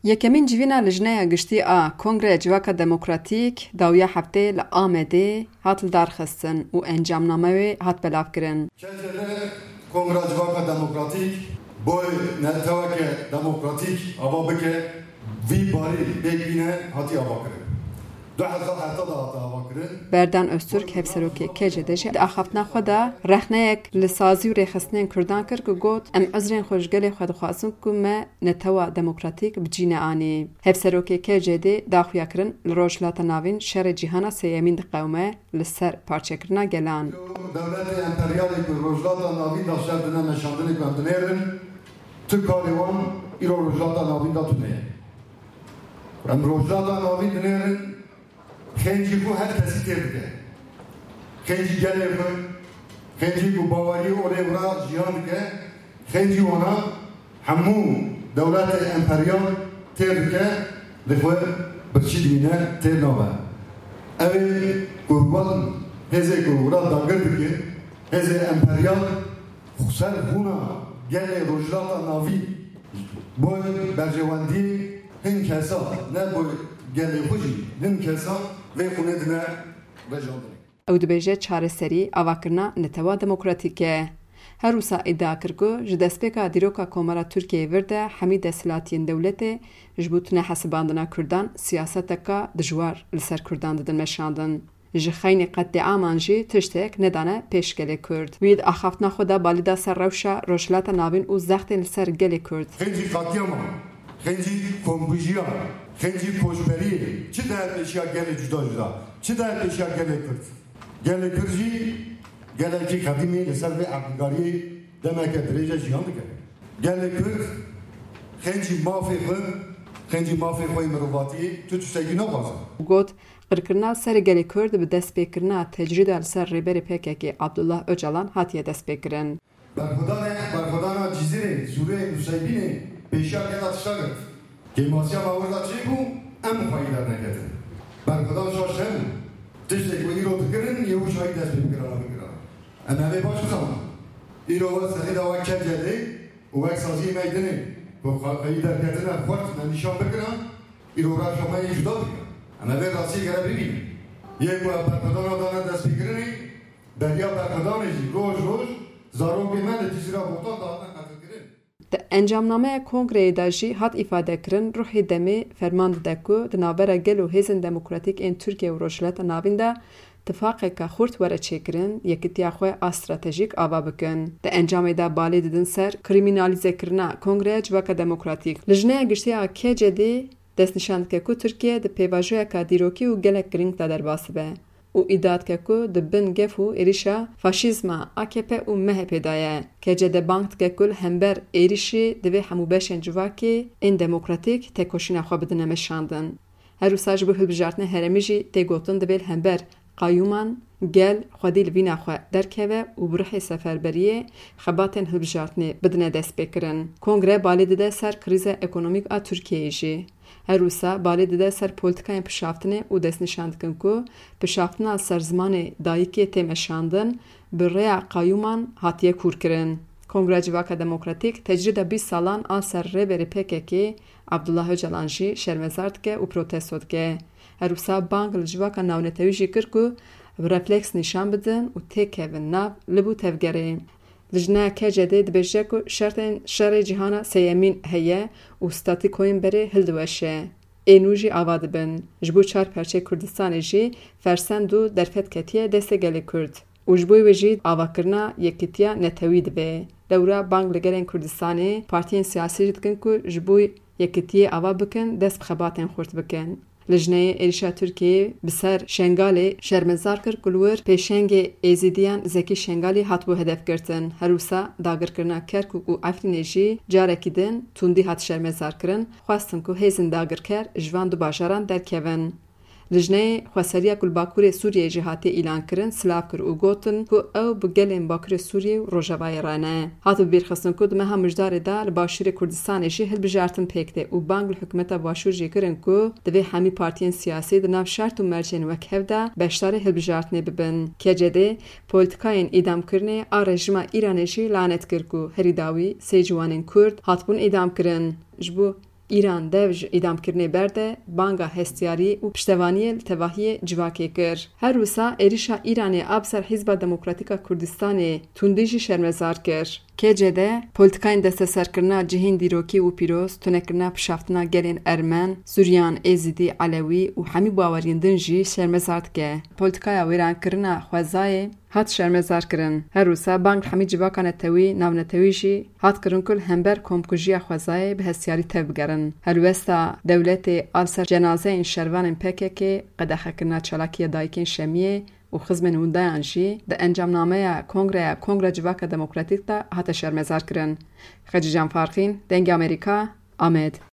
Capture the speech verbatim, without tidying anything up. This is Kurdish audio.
Yekemîn civîna Lijneya Giştî a Kongreya Civaka Demokratîk dawiya hefteyê li Amedê hat lidarxistin û encamname wê hat belavkirin. K C D Kongreya Civaka Demokratîk boy neteweke demokratîk ava bike, vî barî pêk bîne hatiye avakirin. Du hezar heft de hate avakirin. Berdan Öztürk, hevserokê K C D jî di axaftina xwe de rexneyek li sazî û rêxistinên Kurdan kir ku got, Em uzrên xwe ji gelê xwe dixwazin ku me netewa demokratîk bi cî neanî. Hevserokê K C D daxuya kirin li Rojhilata Navîn şerê cîhana sêyemîn diqewime li ser parçekirina gelan. Dewletê emperyalê ku Rojhilata Navîn de şer dine meşandinê ku em dinêrin, tu karê wan îro Rojhilata Navîn de tune ye. Em Rojhilata Navîn dinêrin, xêncî ku her kesî têr dike. Xêncî gelê xwe, xêncî ku bawerî olê wira jiyan dike, xêncî wana hemû dewletê emperyal têr dike, li xwe birçî dimîne, têr nabe. Ew ê ku wan hêzê ku wira dagir dike, hêzê emperyal ser xûna gelê Rojhilata Navî boy berjewendiyê hin kesa, ne boy gelê xwe jî hin kesa vê xûnê dine vejandinê. Ew dibêje çareserî avakirina netewa demokratîk e. Her wisa îdia kir ku ji destpêka dîroka Komara Tirkiyeyê vir de hemî desthilatiyên dewletê ji bo tune hesibandina Kurdan siyaseteka dijwar li ser Kurdan didin meşandin. Ji xeynî qetlîaman jî tiştek nedane pêş gelê Kurd. Wî di axaftina xwe de balî da ser rewşa Rojhilata Navîn û zextên li ser gelê Kurd. Xêncî qetlîama, xêncî komkujiya, xêncî koçberiyê çi daye pêşiya gelê cuda cuda, çi daye pêşiya gelê Kurd? Gelê Kurd jî gelekî qedîmî li ser vê erdnîgariyê demeke dirêj e jiyan dike. Gelê Kurd xêncî mafê xwe, xêncî mafê xwe yê mirovatiyê tu tiştekî naxwaze. Got, Qirkirina li ser gelê Kurd bi destpêkirina tecrîda li ser rêberê P K K Abdullah Ocalan hatiye destpêkirin. Berxwedane, berxwedana Cizîrê, Sûrê, Nuseybînê pêşiya gela tişta girt. Kêmasiya me wir de çêbû, em xweyî derneketin. Berxwedan şaş hebû. Tiştê ku îro dikirin, yê wî çayî dest pê bikirana bikirana. Em hemê baş dizanin. Îro we serî de wek K C D û wek saziyê me yê dinê ku xweyî derketine xwert me nîşan bikira, îro rewşa me yê cuda bûye. Em ê vê rastiyê gere bibînin. Yê ku ev berxwedana dane destpêkirinê, beriya berxwedanê jî roj roj zarokê me li Cizîra Botan dihatine qetilkirin. Di encamnameya kongreyê de jî hat îfadekirin, ruhê demê ferman dide ku di navbera gel û hêzên demokratîk ên Tirkiye û Rojhilata Navîn de tifaqeke xurt were çêkirin, yekitiya xwe a stratejîk ava bikin. Di encamê de balê didin ser krîmînalîzekirina Kongreya Civaka Demokratîk. Lijneya Giştî a K C D destnîşan dike ku Tirkiye di pêvajoyeka dîrokî û gelek girîng de derbas dibe û îdia dike ku di bin gef û êrîşa faşîzma A K P û M H P de ye. K C D bang dike ku li hember êrîşê divê hemû beşên civakê ên demokratîk têkoşîna xwe bidine meşandin. Her wisa ji bo hilbijartinê herêmî jî tê gotin divê li hember qayûman gel xwedî li vîna xwe derkeve û bi ruhê seferberiyê xebatên hilbijartinê bidine destpêkirin. Kongre balê dide ser krîza ekonomîk a Tirkiyeyê jî. Her wisa balê dide ser polîtikayên pişaftinê û destnîşan dikin ku pişaftina li ser zimanê dayikê tê meşandin, bi rêya qayûman hatiye kûrkirin. Kongreya Civaka Demokratîk tecrîda bîst salan a ser rêberê P K K Abdullah Ocalan jî şermezar dike û protesto dike. Her wisa bang li civaka navnetewî jî kir ku bi refleks nîşan bidin û têkevin nav lib û tevgerê. Lijneya K C D dibêje ku şertên şerê cîhana sêyemîn heye û statîkoyên berê hildiweşe. Ê nû jî ava dibin. Ji bo çar perçeyê Kurdistanê jî fersend û derfet ketiye destê gelê Kurd. Û ji bo wê jî avakirina yekitiya netewî divê. Lewra bang li gelên Kurdistanê, partiyên siyasî jî dikin ku ji bo yekitiyê ava bikin, dest bi xebatên xurt bikin. Lijneyê êrişa Tirkiyeyê bi ser Şengalê şermezar kir ku li wir pêşengê Êzîdiyan Zekî Şengalî hatibû hedefgirtin. Her wisa dagirkirina Kerkûk û Efrînê jî carekî din tundî hat şermezarkirin, xwestin ku hêzên dagirker ji van du bajaran derkevin. Lijneyê xweseriya ku li Bakurê Sûriyeyê jî hatiye îlankirin, silav kir û gotin ku ew bi gelên Bakurê Sûriyê û Rojavayê re ne. Hat bibîrxistin ku di meha Mijdarê de li Başûrê Kurdistanê jî hilbijartin pêk tê û bang li hikûmeta Başûr jî kirin ku divê hemî partiyên siyasî di nav şert û mercên wek hev de beşdarî hilbijartinê bibin. K C D polîtikayên îdamkirinê a rejîma Îranê jî lanet kir ku herî dawî sê ciwanên Kurd hatibûn îdamkirin. Ji bo Îran dev ji îdamkirinê berde, banga hestiyarî û piştevaniyê li tevahiyê civakê kir. Her wisa êrîşa Îranê a bi ser Hizba Demokratîk a Kurdistanê tundî jî şermezar kir. K C D polîtîkayên desteserkirina cihên dîrokî û pîroz, tunekirina pişaftina gelên Ermen, Suryan, Êzidî, Elewî û hemî baweriyên din jî şermezar dike. Polîtîkaya wêrankirina xwezayê hat şermezar kirin. Her wisa bang li hemî civaka netewî, navnetewî jî hat kirin ku li hember komkujiya xwezayê bi hestiyarî tev bigerin. Helwesta dewletê a li ser cenazeyên şervanên P K K, qedexekirina çalakiya dayikên Şemiyê û xizmên windayan jî di encamnameya Kongreya Kongra Civaka Demokratîk de hate şermezar kirin. Xecîcan Farqîn, Dengê Amerîka, Amed.